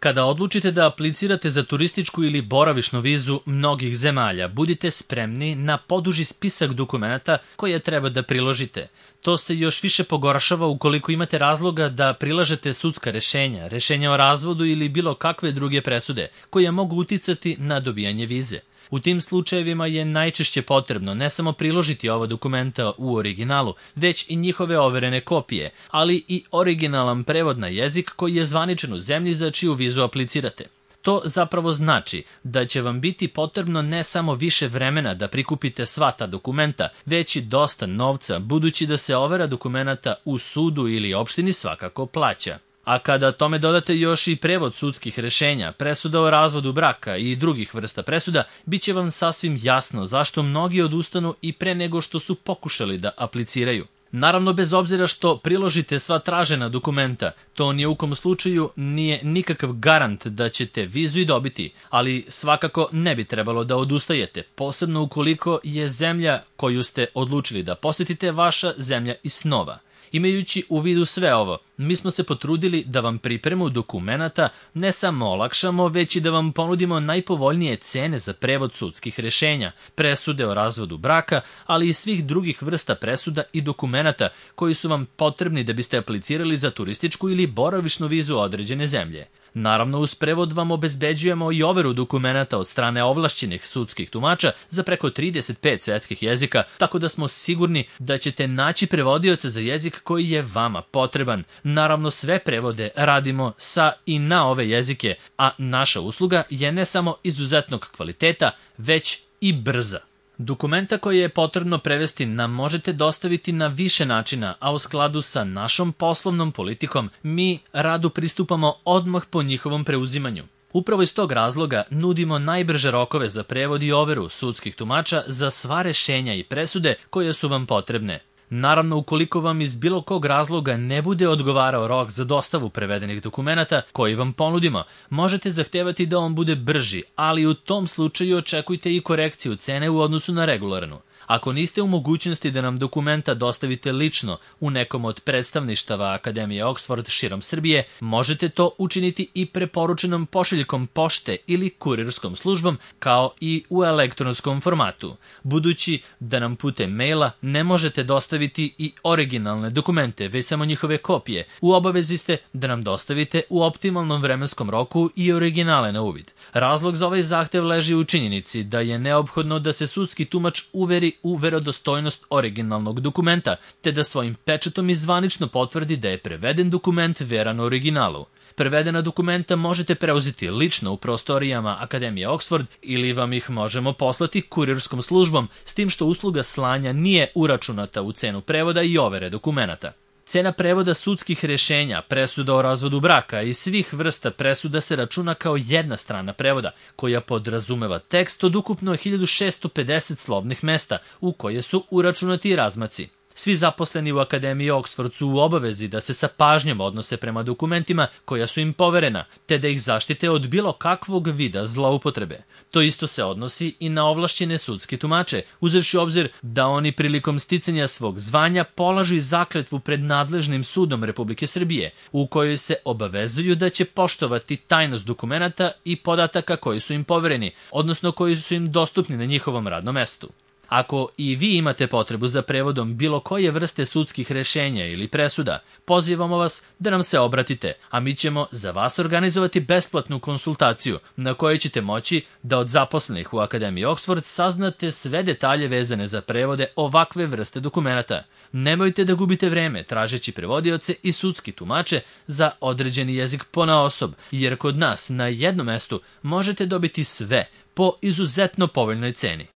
Kada odlučite da aplicirate za turističku ili boravišnu vizu mnogih zemalja, budite spremni na poduži spisak dokumenata koje treba da priložite. To se još više pogoršava ukoliko imate razloga da prilažete sudska rešenja, rešenja o razvodu ili bilo kakve druge presude koje mogu uticati na dobijanje vize. U tim slučajevima je najčešće potrebno ne samo priložiti ova dokumenta u originalu, već i njihove overene kopije, ali i originalan prevod na jezik koji je zvaničan u zemlji za čiju vizu aplicirate. To zapravo znači da će vam biti potrebno ne samo više vremena da prikupite sva ta dokumenta, već i dosta novca, budući da se overa dokumenata u sudu ili opštini svakako plaća. A kada tome dodate još i prevod sudskih rešenja, presuda o razvodu braka i drugih vrsta presuda, bit će vam sasvim jasno zašto mnogi odustanu i pre nego što su pokušali da apliciraju. Naravno, bez obzira što priložite sva tražena dokumenta, to ni u kom slučaju nije nikakav garant da ćete vizu i dobiti, ali svakako ne bi trebalo da odustajete, posebno ukoliko je zemlja koju ste odlučili da posetite vaša zemlja iz snova. Imajući u vidu sve ovo, mi smo se potrudili da vam pripremu dokumenata ne samo olakšamo, već i da vam ponudimo najpovoljnije cene za prevod sudskih rešenja, presude o razvodu braka, ali i svih drugih vrsta presuda i dokumenata koji su vam potrebni da biste aplicirali za turističku ili boravišnu vizu određene zemlje. Naravno, uz prevod vam obezbeđujemo i overu dokumenata od strane ovlašćenih sudskih tumača za preko 35 svetskih jezika, tako da smo sigurni da ćete naći prevodioca za jezik koji je vama potreban. Naravno, sve prevode radimo sa i na ove jezike, a naša usluga je ne samo izuzetnog kvaliteta, već i brza. Dokumenta koje je potrebno prevesti nam možete dostaviti na više načina, a u skladu sa našom poslovnom politikom mi radu pristupamo odmah po njihovom preuzimanju. Upravo iz tog razloga nudimo najbrže rokove za prevod i overu sudskih tumača za sva rešenja i presude koje su vam potrebne. Naravno, ukoliko vam iz bilo kog razloga ne bude odgovarao rok za dostavu prevedenih dokumenata koji vam ponudimo, možete zahtevati da on bude brži, ali u tom slučaju očekujte i korekciju cene u odnosu na regularnu. Ako niste u mogućnosti da nam dokumenta dostavite lično u nekom od predstavništava Akademije Oxford širom Srbije, možete to učiniti i preporučenom pošiljkom pošte ili kurirskom službom, kao i u elektronskom formatu. Budući da nam putem maila ne možete dostaviti i originalne dokumente, već samo njihove kopije, u obavezi ste da nam dostavite u optimalnom vremenskom roku i originale na uvid. Razlog za ovaj zahtev leži u činjenici da je neophodno da se sudski tumač uveri u verodostojnost originalnog dokumenta, te da svojim pečatom i zvanično potvrdi da je preveden dokument veran originalu. Prevedena dokumenta možete preuzeti lično u prostorijama Akademije Oxford ili vam ih možemo poslati kurirskom službom, s tim što usluga slanja nije uračunata u cenu prevoda i overe dokumenata. Cena prevoda sudskih rešenja, presuda o razvodu braka i svih vrsta presuda se računa kao jedna strana prevoda, koja podrazumeva tekst od ukupno 1650 slovnih mesta u koje su uračunati i razmaci. Svi zaposleni u Akademiji Oxford su u obavezi da se sa pažnjom odnose prema dokumentima koja su im poverena, te da ih zaštite od bilo kakvog vida zloupotrebe. To isto se odnosi i na ovlašćene sudske tumače, uzevši u obzir da oni prilikom sticanja svog zvanja polažu zakletvu pred nadležnim sudom Republike Srbije, u kojoj se obavezuju da će poštovati tajnost dokumenata i podataka koji su im povereni, odnosno koji su im dostupni na njihovom radnom mestu. Ako i vi imate potrebu za prevodom bilo koje vrste sudskih rešenja ili presuda, pozivamo vas da nam se obratite, a mi ćemo za vas organizovati besplatnu konsultaciju na kojoj ćete moći da od zaposlenih u Akademiji Oxford saznate sve detalje vezane za prevode ovakve vrste dokumenata. Nemojte da gubite vreme tražeći prevodioce i sudski tumače za određeni jezik ponaosob, jer kod nas na jednom mestu možete dobiti sve po izuzetno povoljnoj ceni.